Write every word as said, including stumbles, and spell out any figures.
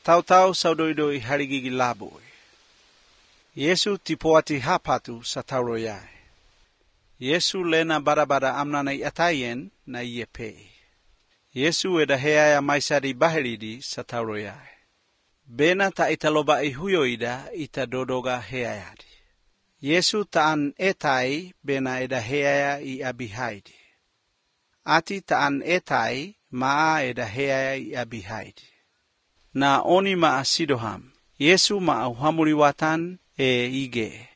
Tau-tau saudoidoi harigigi laboi. Yesu tipoati hapatu satauroyai. Yesu lena bada-bada amnanai atayen na iyepei. Yesu eda heaya maisadi baheridi satauroyai. Bena ta italoba ihuyoida ita dodoga heayadi. Yesu taan etai bena eda heaya i abihaidi. Ati taan etai maa eda heaya i abihaidi. Na oni maa sidoham. Yesu maa uhamuriwatan e ige.